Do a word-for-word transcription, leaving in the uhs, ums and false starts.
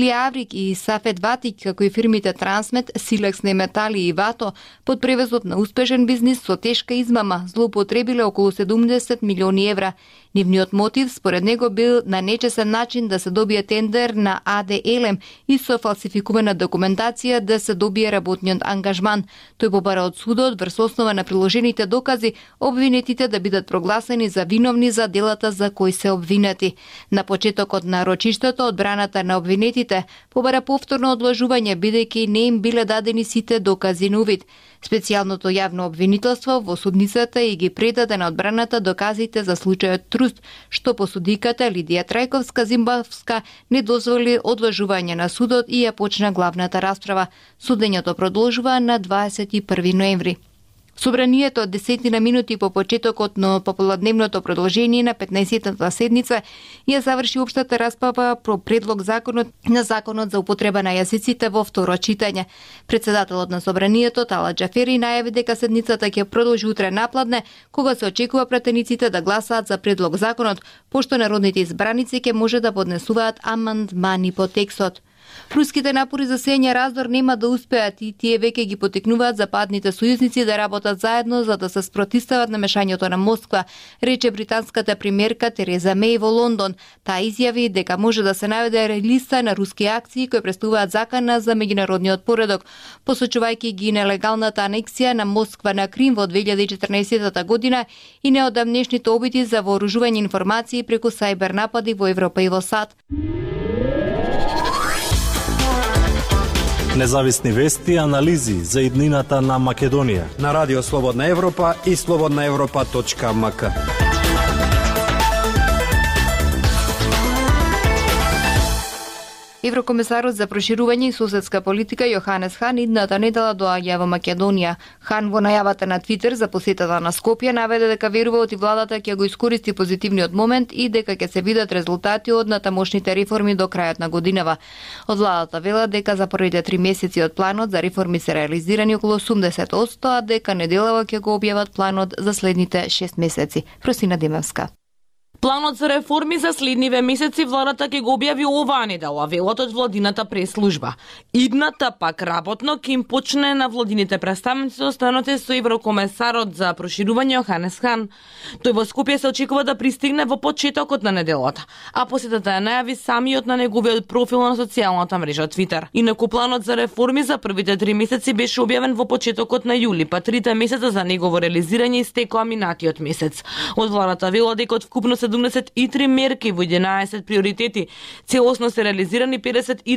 Аврик и Сафет Ватик, како и фирмите Трансмет, Силекс Неметали и Вато, под превезот на успешен бизнис со тешка измама, злоупотребиле околу седумдесет милиони евра. Нивниот мотив, според него, бил на нечесен начин да се добие тендер на А Д Елем и со фалсификувана документација да се добие работниот ангажман. Тој побара од судот, врз основа на приложените докази, обвинетите да бидат прогласени за виновни за делата за кои се обвинети. На почетокот на рочиштето, одбраната на обвинетите побара повторно одложување, бидејќи не им биле дадени сите докази на увид. Специјалното јавно обвинителство во судницата и ги предаде на одбраната доказите за случајот Труст, што посудиката Лидија Трајковска-Зимбавска не дозволи одложување на судот и ја почна главната расправа. Судењето продолжува на дваесет и први ноември. Собранието од десетина минути по почетокот на пополудневното продолжение на петнаесеттата седница ја заврши општата расправа про предлог законот на законот за употреба на јазиците во второ читање. Председателот на собранието Тала Џафери најави дека седницата ќе продолжи утре напладне, кога се очекува пратениците да гласаат за предлог законот, пошто народните избраници ќе може да поднесуваат амандмани по текстот. Руските напори за сење раздор нема да успеат и тие веќе ги потекнуваат западните сојузници да работат заедно за да се спротивстават на мешањето на Москва, рече британската премиерка Тереза Меј во Лондон. Таа изјави дека може да се наведе листа на руски акции кои представуваат закана за меѓународниот поредок, посочувајќи ги нелегалната анексија на Москва на Крим во две илјади и четрнаесеттата година и неодамнешните обиди за вооружување информации преку сајбер напади во Европа и во САД. Независни вести и анализи за иднината на Македонија на Радио Слободна Европа и слободна европа точка ем ка. Еврокомисарот за проширување и соседска политика Јоханес Хан идната недела доаѓа во Македонија. Хан во најавата на Твитер за посетата на Скопје наведе дека верува и владата ќе го искористи позитивниот момент и дека ќе се видат резултати од натамошните реформи до крајот на годинава. Од владата велат дека за првите три месеци од планот за реформи се реализирани околу осумдесет одсто, а дека неделава ќе го објават планот за следните шест месеци. Просина Демевска. Планот за реформи за следниве месеци владата ќе го објави оваа недела, велат од владината прес-служба. Идната пак работно ќе им почне на владините представници останоте со еврокомесарот за проширување Јоханес Хан. Тој во Скопје се очекува да пристигне во почетокот на неделата, а посетата ја најави самиот на неговиот профил на социјалната мрежа Твитер. Инаку планот за реформи за првите три месеци беше објавен во почетокот на јули, па трите месеца за негово реализирање истекоа минатиот месец. Од владата велат дека од вкупно седумдесет и три мерки во единаесет приоритети целосно се реализирани педесет и